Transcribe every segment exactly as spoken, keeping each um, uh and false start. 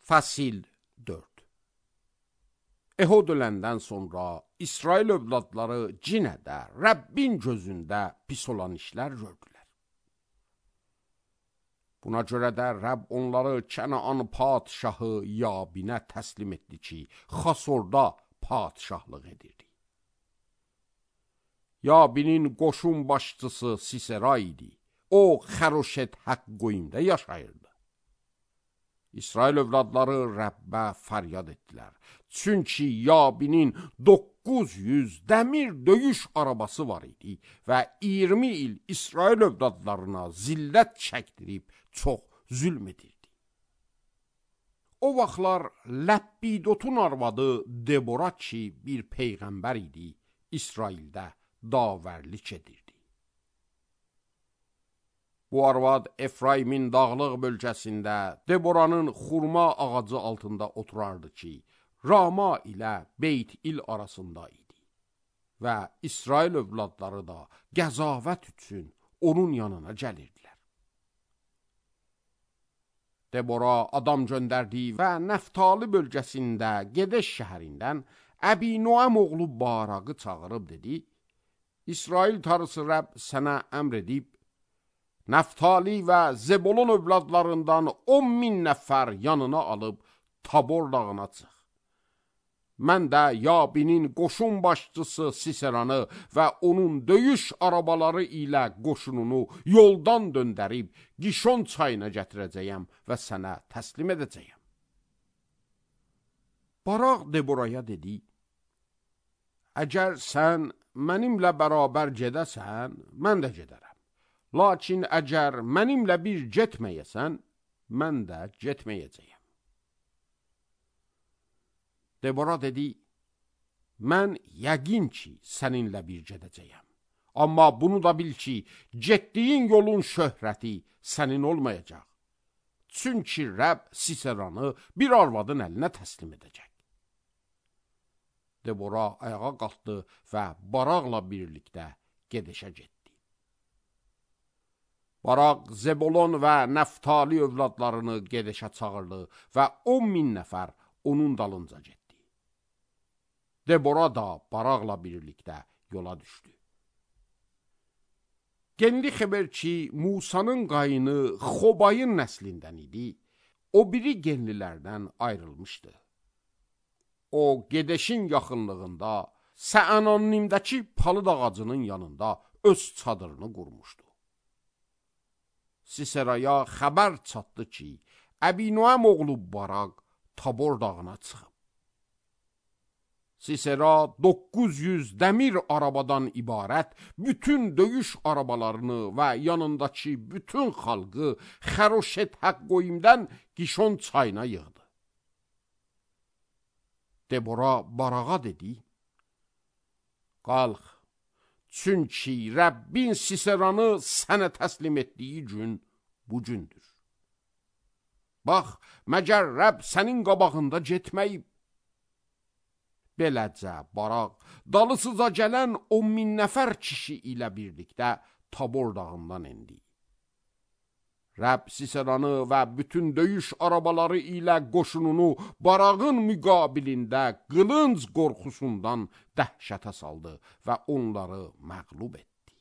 Fəsil dörd. Ehud öləndən sonra İsrail övladları cinə də, Rəbbin gözündə pis olan işlər gördülər. Buna görə də Rəbb onları Kənaan padşahı Yabinə təslim etdi ki, Xasorda padşahlıq edirdi. Yabinin qoşun başçısı Sisera idi. O, Xəroşet Haqqoyimdə yaşayırdı. İsrail övladları Rəbbə fəryad etdilər. Çünki Yabinin doqquz yüz dəmir döyüş arabası var idi və iyirmi il İsrail övladlarına zillət çəkdirib çox zülm edirdi. O vaxtlar Ləbbidotun arvadı Debora ki, bir peyğəmbər idi, İsraildə davərlik edirdi. Bu arvad Efraimin dağlıq bölgəsində Deboranın xurma ağacı altında oturardı ki, Rama ilə Beyt-il arasında idi. Və İsrail övladları da qəzavət üçün onun yanına gəlirdilər. Debora adam göndərdi və Nəftali bölgəsində Gedeş şəhərindən Əbi-Noam oğlu Baraqı çağırıb dedi, İsrail tarısı Rəbb sənə əmr edib, Nəftali və Zebolon övladlarından on min nəfər yanına alıb Tabor dağına çıx. Mən də Yabinin qoşun başçısı Siseranı və onun döyüş arabaları ilə qoşununu yoldan döndərib Gişon çayına gətirəcəyəm və sənə təslim edəcəyəm. Baraq Deboraya dedi, əgər sən mənimlə bərabər gedəsən, mən də gedərəm. Lakin əgər mənimlə bir getməyəsən, mən də getməyəcəyəm. Debora dedi, mən yəqin ki, səninlə bir gedəcəyəm. Amma bunu da bil ki, getdiyin yolun şöhrəti sənin olmayacaq. Çünki Rəbb Siseranı bir arvadın əlinə təslim edəcək. Debora ayağa qalxdı və Baraqla birlikdə Gedəşə getdi. Baraq Zebolon və Nəftali övladlarını Gedəşə çağırdı və on min nəfər onun dalınca getdi. Debora da Baraqla birlikdə yola düşdü. Genli xəbər ki, Musanın qayını Xobayın nəslindən idi, o biri genlilərdən ayrılmışdı. O, Gedəşin yaxınlığında, Səanonnimdəki palıd ağacının yanında öz çadırını qurmuşdu. Siseraya xəbər çatdı ki, Əbi-Noam oğlu Baraq Tabor dağına çıxıb. Sisera doqquz yüz dəmir arabadan ibarət bütün döyüş arabalarını və yanındakı bütün xalqı Xəroşet Haqqoyimdən Gişon çayına yığdı. Debora Barağa dedi, qalx, çünki Rəbbin Siseranı sənə təslim etdiyi gün bu gündür. Bax, məgər Rəbb sənin qabağında getməyib. Beləcə, Baraq, dalısıza gələn on min nəfər kişi ilə birlikdə Tabor dağından endi. Rəbb Siseranı və bütün döyüş arabaları ilə qoşununu Barağın müqabilində qılınc qorxusundan dəhşətə saldı və onları məğlub etdi.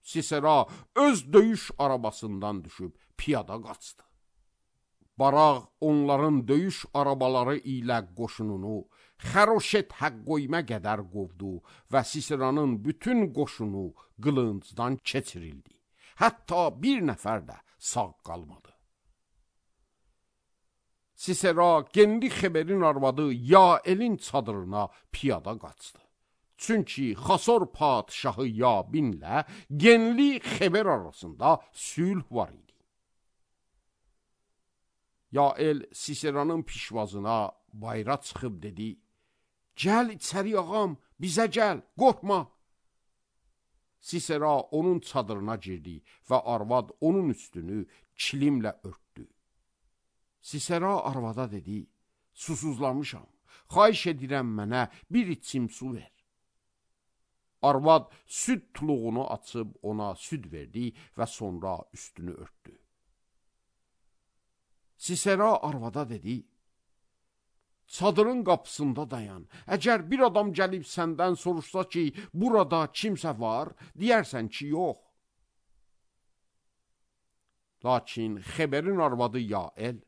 Sisera öz döyüş arabasından düşüb piyada qaçdı. Baraq onların döyüş arabaları ilə qoşununu Xəroşet Haqqoyimə qədər qovdu və Siseranın bütün qoşunu qılıncdan keçirildi. Hətta bir nəfər də sağ qalmadı. Sisera Genli Xeberin arvadı Yaelin çadırına piyada qaçdı. Çünki Xasor padşahı Yabinlə Genli Xeber arasında sülh var idi. Yael Siseranın pişvazına bayra çıxıb dedi, gəl içəri ağam, bizə gəl, qorxma. Sisera onun çadırına girdi və arvad onun üstünü kilimlə örtdü. Sisera arvada dedi, susuzlamışam, xahiş edirəm mənə bir içim su ver. Arvad süd tuluğunu açıb ona süd verdi və sonra üstünü örtdü. Sisera arvada dedi, çadırın qapısında dayan. Əgər bir adam gəlib səndən soruşsa ki, burada kimsə var, deyərsən ki, yox. Lakin Xeberin arvadı Yael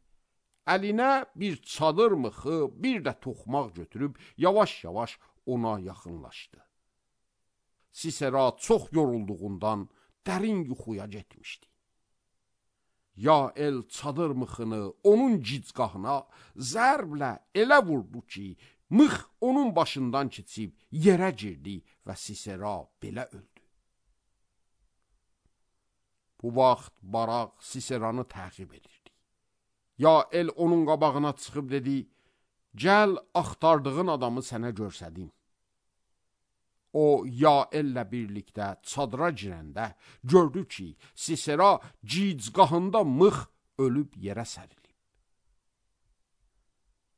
əlinə bir çadır mıxı, bir də toxmaq götürüb yavaş-yavaş ona yaxınlaşdı. Sisera çox yorulduğundan dərin yuxuya getmişdi. Yael çadır mıxını onun gicgahına zərblə elə vurdu ki, mıx onun başından keçib yerə girdi və Sisera belə öldü. Bu vaxt Barak Siseranı təqib edirdi. Yael onun qabağına çıxıb dedi, gəl axtardığın adamı sənə görsədim. O, Yaellə birlikdə çadıra girəndə gördü ki, Sisera gicgahında mıx ölüb yerə sərilib.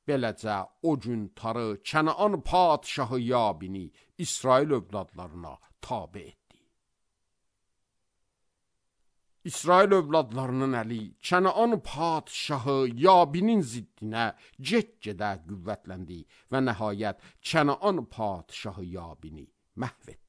Beləcə o gün tarı Kənaan padşahı Yabini İsrail övladlarına tabe etdi. İsrail övladlarının əli Kənaan padşahı Yabinin ziddinə get-gedə qüvvətləndi və nəhayət Kənaan padşahı Yabini məhv etdi.